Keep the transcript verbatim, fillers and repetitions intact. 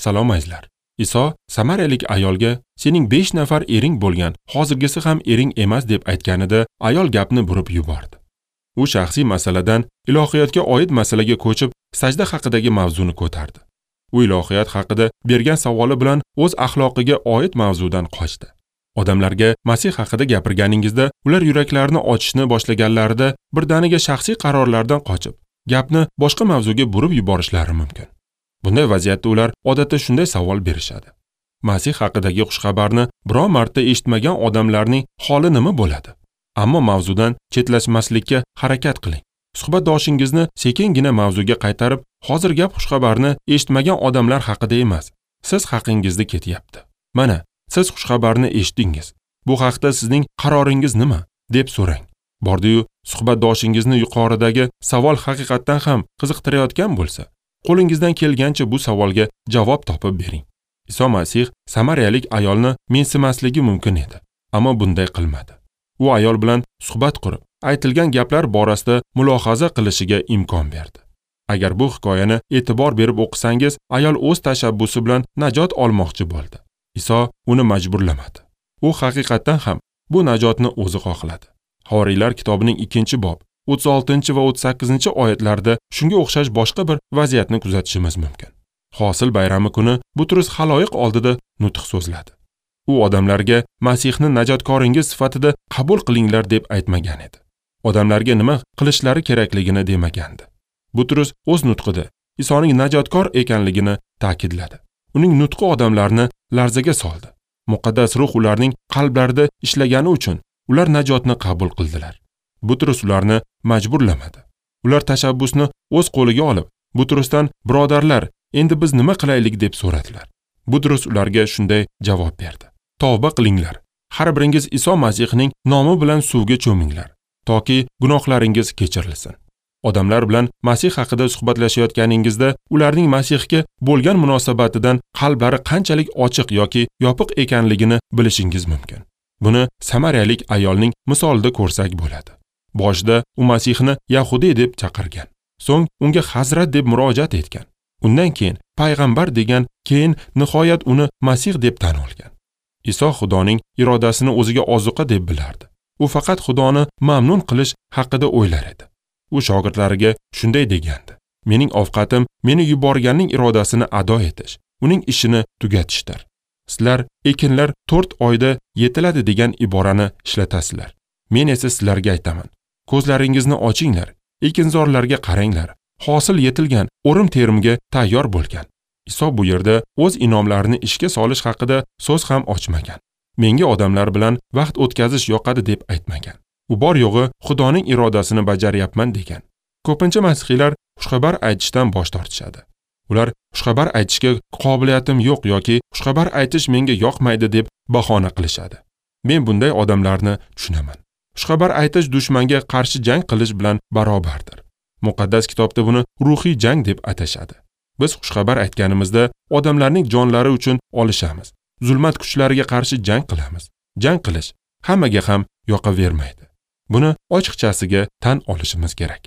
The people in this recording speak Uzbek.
Salom azizlar. Iso samariyalik ayolga sening besh nafar ering bo'lgan, hozirgisi ham ering emas deb aytganida ayol gapni burib yubordi. U shaxsiy masaladan ilohiyatga oid masalaga ko'chib, sajda haqidagi mavzuni ko'tardi. U ilohiyat haqida bergan savoli bilan o'z axloqiga oid mavzudan qochdi. Odamlarga Masih haqida gapirganingizda ular yuraklarini ochishni boshlaganlarida birdaniga shaxsiy qarorlardan qochib, gapni boshqa mavzuga burib yuborishlari mumkin. Bunday vaziyatda ular odatda shunday savol berishadi. Masih haqidagi xushxabarni biron marta eshitmagan odamlarning holi nima bo'ladi? Ammo mavzudan chetlashmaslikka harakat qiling. Suhbatdoshingizni sekingina mavzuga qaytarib, hozir gap xushxabarni eshitmagan odamlar haqida emas, siz haqingizda ketyapti. Mana, siz xushxabarni eshitdingiz. Bu haqda sizning qaroringiz nima? Deb so'rang. Bordi-yu, suhbatdoshingizni yuqoridagi savol haqiqatdan ham qiziqtirayotgan bo'lsa, qo'lingizdan kelgancha bu savolga javob topib bering. Iso Masih samariyalik ayolni mensimasligi mumkin edi, ammo bunday qilmadi. U ayol bilan suhbat qurib, aytilgan gaplar borasida mulohaza qilishiga imkon berdi. Agar bu hikoyani e'tibor berib o'qisangiz, ayol o'z tashabbusi bilan najot olmoqchi bo'ldi. Iso uni majburlamadi. U haqiqatdan ham bu najotni o'zi xohladi. Havoriylar kitobining ikkinchi bob o'ttiz oltinchi va o'ttiz sakkizinchi oyatlarda shunga o'xshash boshqa bir vaziyatni kuzatishimiz mumkin. Hosil bayrami kuni Butrus xaloyiq oldida nutq so'zladi. U odamlarga Masihni najotkoringiz sifatida qabul qilinglar deb aytmagan edi. Odamlarga nima qilishlari kerakligini demagandi. Butrus o'z nutqida Isoning najotkor ekanligini ta'kidladi. Uning nutqi odamlarni larzaga soldi. Muqaddas ruh ularning qalblarida ishlagani uchun ular najotni qabul qildilar. Butrus ularni majburlamadi. Ular tashabbusni o'z qo'liga olib, Butrusdan birodarlar, endi biz nima qilaylik deb so'radilar. Butrus ularga shunday javob berdi. Tavba qilinglar. Har biringiz Iso Masihning nomi bilan suvga cho'minglar, toki gunohlaringiz kechirilsin. Odamlar bilan Masih haqida suhbatlashayotganingizda ularning Masihga bo'lgan munosabatidan qalblari qanchalik ochiq yoki yopiq ekanligini bilishingiz mumkin. Buni samariyalik ayolning misolida ko'rsak bo'ladi. Boshida u Masihni Yahudi deb chaqirgan, so'ng unga Hazrat deb murojaat etgan. Undan keyin payg'ambar degan, keyin nihoyat uni Masih deb tan olgan. Iso Xudoning irodasini o'ziga ozuqa deb bilardi. U faqat Xudoni mamnun qilish haqida o'ylar edi. U shogirdlariga shunday degandi: Mening ovqatim meni yuborganning irodasini ado etish, uning ishini tugatishdir. Sizlar ekinlar to'rt oyda yetiladi degan iborani ishlatasizlar. Men esa sizlarga aytaman. Ko'zlaringizni ochinglar, ekinzorlarga qaranglar. Hosil yetilgan, o'rim terimga tayyor bo'lgan. Iso bu yerda o'z inomlarini ishga solish haqida so'z ham ochmagan. Menga odamlar bilan vaqt o'tkazish yoqadi deb aytmagan. U bor yo'g'i Xudoning irodasini bajaryapman degan. Ko'pincha masihiylar xushxabar aytishdan bosh tortishadi. Ular xushxabar aytishga qobiliyatim yo'q yoki xushxabar aytish menga yoqmaydi deb bahona qilishadi. Men bunday odamlarni tushunaman. Xushxabar aytish dushmanga qarshi jang qilish bilan barobardir. Muqaddas kitobda buni ruhiy jang deb atashadi. Biz xushxabar aytganimizda odamlarning jonlari uchun olishamiz. Zulmat kuchlariga qarshi jang qilamiz. Jang qilish hammaga ham yoqavermaydi. Buni ochiqchasiga tan olishimiz kerak.